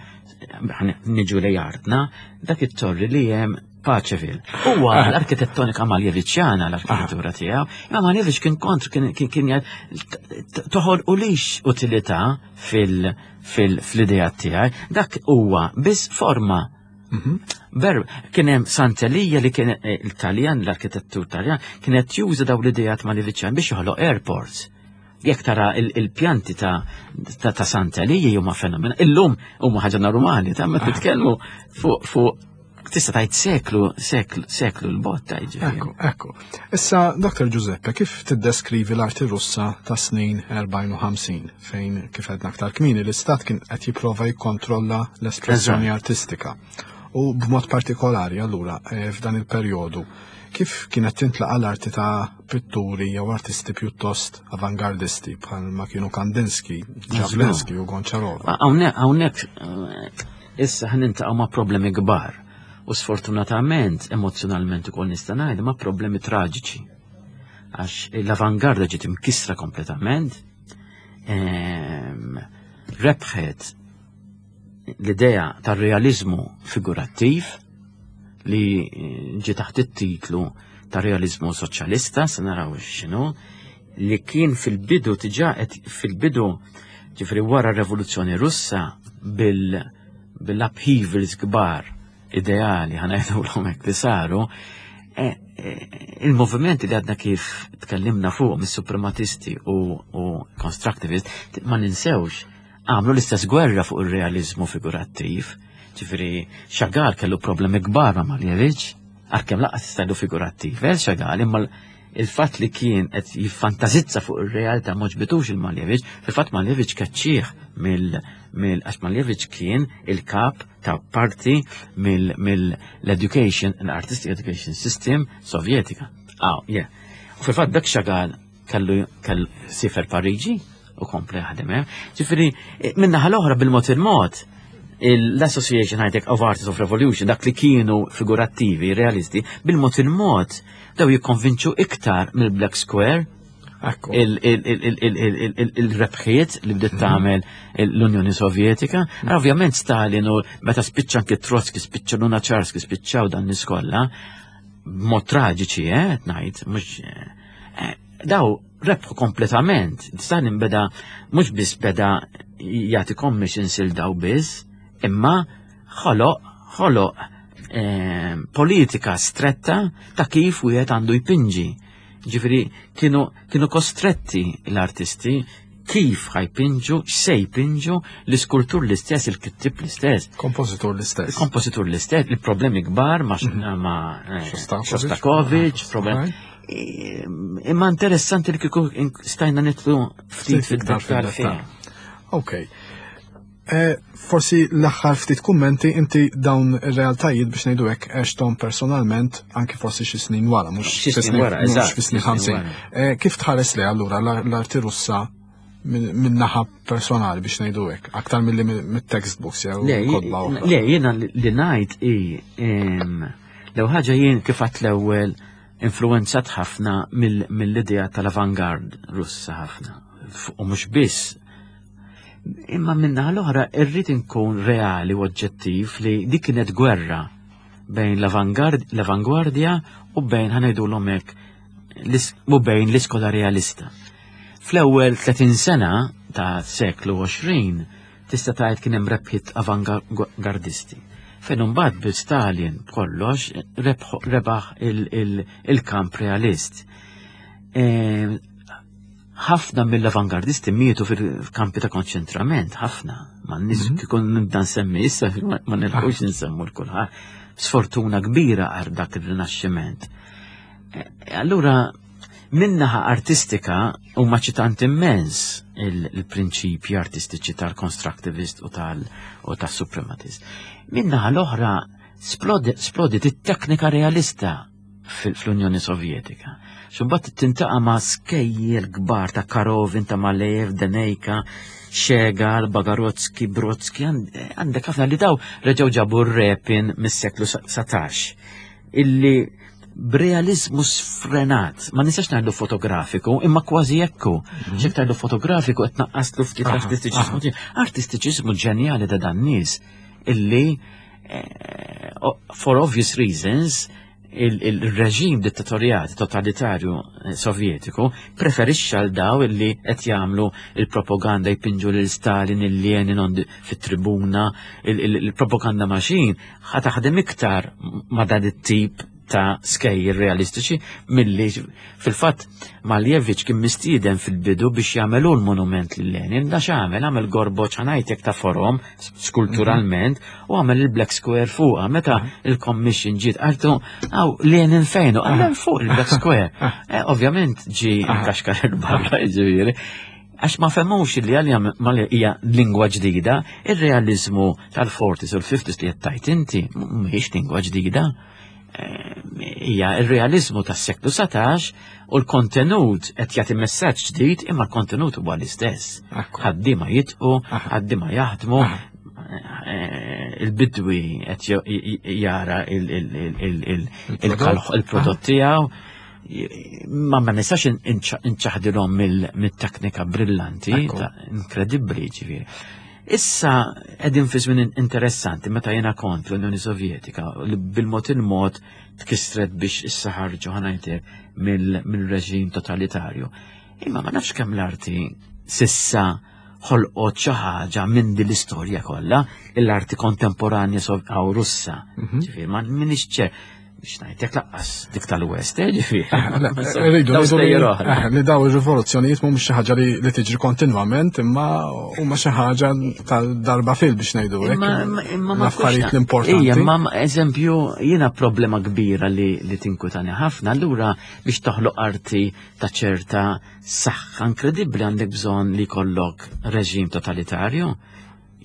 niġu li artna, dak it-torri li hemm Paceville. Huwa l-arkitettonika Maljeviċjana l-arkitettura tiegħu, imma Malevich kien kontr, kien kien toħolqulix utilità fil-idea tiegħi, dak huwa biss forma. Mhm. Ber, kien hemm Sant'Elia li kien eh, il-Taljan, l-arkitettur Taljan, kienet juża daw l-idejat Maljeviċjan biex joħloq airports. Jekk tara il-pjanti ta' ta' Sant'Elia huma fenomen. Illum huma ħaġa normali, ta' ma titkellmu fuq fuq tista' tgħid seklu, seklu, seklu l-botta jiġifieri.
Ekku, ekku. Issa, Doktor Giuseppe, kif tiddeskrivi l-arti Russa ta' snin erbgħin u ħamsin, fejn kif għedna aktar kmieni l-istat kien qed jipprova jikkontrolla l-espressjoni artistika? U b'mod partikolari allura eh, f'dan il-perjodu, kif kienet tintlaqa l-arti ta' pitturi jew artisti pjuttost avangardisti bħal ma kienu Kandinsky, Jawlensky u Goncharova?
Hawnhekk eh, issa ħa niltaqgħu ma' problemi kbar u sfortunatament emozjonalment ukoll nista' ngħid ma' problemi traġiċi. Għax l-avangarda ġiet imkissra kompletament, ehm, rebħet l-idea tar-realizmu figurattiv li ġi taħt it-titlu ta' realizmu soċjalista, se naraw x'inhu, li kien fil-bidu diġà fil-bidu, ġifieri wara r-Revoluzzjoni Russa bil bil-upheavals kbar ideali ħa ngħidu hekk li saru, e, e, il-movimenti li għadna kif tkellimna fuq mis-suprematisti u, u constructivist, ma ninsewx, għamlu l-istess gwerra fuq il-realizmu figurattiv. Ġifieri, Chagall kellu problemi kbar ma' Malevich, għalkemm lanqas tista' tgħidu figurattiv, eh, Chagall, imma il-fatt li kien qed jiffantazizza fuq ir-realtà m'għoġbitux il-Malevich, fil-fatt Malevich kaċċih mill mill għax Malevich kien il-kap ta' parti mill-education, l-artistic education system sovjetika. Ah, yeah. U fil-fatt dak Chagall kellu kellu siefer Pariġi u kompla jaħdem hemm. Ġifieri, min-naħa l-oħra, bil-mod il-mod, l-Association High Tech of Artists of Revolution, dak li kienu figurattivi, realisti, bil-mod il-mod, daw jikkonvinċu iktar mill-Black Square il-rebħiet li bdiet tagħmel l-Unjoni Sovjetika. Ovvjament Stalin u meta spiċċa anke Trotsky, spiċċa Lunacharsky, spiċċaw dan nies kollha, b'mod traġiċi, eh, ngħid, mhux eh, daw rebħu kompletament. Stalin beda mhux biss beda jagħti commissions il daw biss, imma ħoloq ħoloq eh, politika stretta ta' kif wieħed għandu jpinġi. Ġifieri kienu, kienu kostretti l-artisti kif ħa jpinġu, x'se jpinġu, l-iskultur l-istess, il-kittib l-istess.
Kompożitur l-istess.
Kompożitur l-istess, il-problemi kbar ma' ma' eh, Shostakovich, problem. Imma interessanti li kieku stajna nidħlu ftit fid-dettal fiha.
Ok. Eh, forsi l-aħħar ftit kummenti, inti dawn ir-realtajiet biex ngħidu hekk għexthom personalment anke forsi xi snin wara, mhux
Xi snin wara, eżatt,
fi snin
xi snin
ħamsin.
wara.
Eh, kif tħares li allura l-arti Russa minn naħa personali biex ngħidu hekk, aktar milli mit-textbooks jew
Le,
kotba oħra?
Le, jiena li ngħid i l ħaġa jien kif għedt l-ewwel influenzat ħafna mill-idea tal-avangard Russa ħafna. U mhux biss. Imma minna l-oħra irrid inkun reali u oġġettiv li dik kienet gwerra bejn l-avangwardja u bejn ħa ngħidulhom hekk u bejn l-iskola realista. Fl-ewwel tletin sena ta' seklu għoxrin tista' tgħid kien hemm rebħiet avangwardisti. Fejn imbagħad bi Stalin kollox rebaħ il-kamp realist. Ħafna mill-avangardisti mietu fil-kampi ta' konċentrament, ħafna. Ma nis kikun nibda nsemmi issa, ma nilħux nsemmu l-kulħadd. Sfortuna kbira għal dak il-rinaxximent. Allura, minnaħa artistika huma ċitant immens il-prinċipji artistiċi tal-constructivist u tal-suprematist. Minnaħa l-oħra splodit it-teknika realista fl-Unjoni Sovjetika. Xumbat tintaqa ma' skejjel kbar ta' Karovin, ta' Malejev, Denejka, Xegal, Bagarodski, Brodski, għandek ħafna li daw reġgħu ġabu r-repin mis-seklu satax. Illi b'realizmu sfrenat, ma nistax ngħidu fotografiku, imma kważi jekku. Xek tgħidu fotografiku qed naqqaslu ftit artistiċiżmu. Artistiċiżmu ġenjali ta' dan nies illi for obvious reasons il-reġim dittatorjat totalitarju sovjetiku preferixxa l daw illi qed jagħmlu il-propaganda jpinġu lil Stalin, il Lenin fit-tribuna, il-propaganda machine ħa taħdem iktar ma' dan it-tip ta' skejjel realistiċi milli fil-fatt Maljevic kien mistieden fil-bidu biex jagħmelu l-monument lil Lenin, da x'għamel, għamel gorboċ ħanajtek ta' forom skulturalment u għamel il-Black Square fuqha. Meta il-commission ġiet qaltu għaw Lenin fejnu, għamel fuq il-Black Square. Ovvjament ġi kaxkar il-barra ġifieri. Għax ma femmux li għalja hija lingwa ġdida, ir-realizmu tal-forties u l-fifties li qed tajt inti mhijiex lingwa ġdida. Hija il-realizmu tas-seklu satax u l-kontenut qed jagħti messaġġ ġdid imma l-kontenut huwa l-istess. Ħaddiema jitqu, ħaddiema jaħdmu, il-bidwi qed jara il-prodott tiegħu. Ma ma nistax inċaħdilhom mill-teknika brillanti, inkredibbli ġifieri. Issa qegħdin fi żmien interessanti meta jiena kont l-Unjoni Sovjetika li bil-mod il-mod tkissret biex issa ħarġu ħanajtek mill-reġim totalitarju. Imma ma nafx kemm l-arti sissa ħolqot xi ħaġa minn din l-istorja kollha, l-arti kontemporanja għaw Russa. Ġifieri ma minix ċer biex ngħidlek laqqas dik tal-West, ġifieri.
Rridu li daw ir-rivoluzzjonijiet mhumiex xi ħaġa li tiġri kontinwament, imma huma xi ħaġa tal-darba fil biex ngħidu hekk.
Imma
l-affarijiet l-importanti.
Ija, imma eżempju jiena problema kbira li tinkwetani ħafna, allura biex toħloq arti ta' ċerta saħħa inkredibbli għandek bżonn li jkollok reġim totalitarju.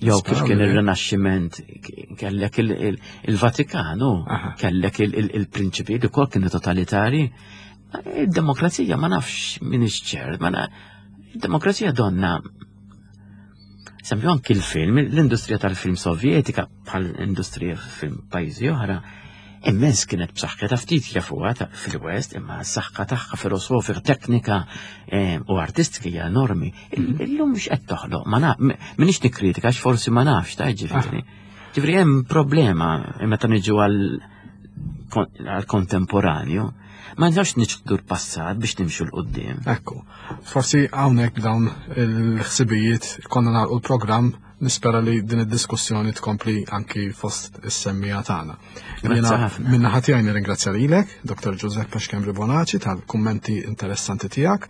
Jew kif kien ir-Rinaxximent kellek il-Vatikanu, kellek il-prinċipi li kol kienu totalitari. Id-demokrazija ma nafx min ċert, ma id-demokrazija donna. Sempju anki l-film, l-industrija tal-film sovjetika bħal industrija film pajjiżi oħra, immens kienet b'saħħitha ftit jafuha fil-West, imma s-saħħa tagħha filosofika, teknika u artistika hija enormi. Illum mhux qed toħloq, ma naf, m'iniex nikkritika għax forsi ma nafx ta' ġifieri. Ġifieri hemm problema meta niġu għal kontemporanju. Ma nistgħux niċħdu l-passat biex nimxu 'l quddiem.
Ekku, forsi hawnhekk dawn il-ħsibijiet konna nagħlqu l-programm. Nispera li din id-diskussjoni tkompli anki fost is-semmija tagħna. Minna ħadd jgħin nirringrazzja lilek, Doktor Giuseppe Schembri Bonaci, tal-kummenti interessanti tiegħek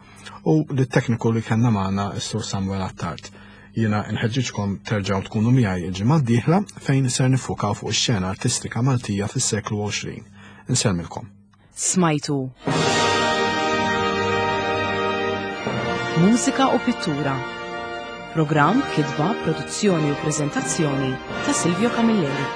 u lit-tekniku li kellna magħna s-Sur Samuel Attard. Jiena nħeġġiġkom terġgħu tkunu miegħi il-ġimgħa d-dieħla fejn ser nifukaw fuq ix-xena artistika Maltija fis-seklu għoxrin. Insellmilkom.
Smajtu Mużika u Pittura. Programm, kitba, produzzjoni u prezentazzjoni ta' Silvio Camilleri.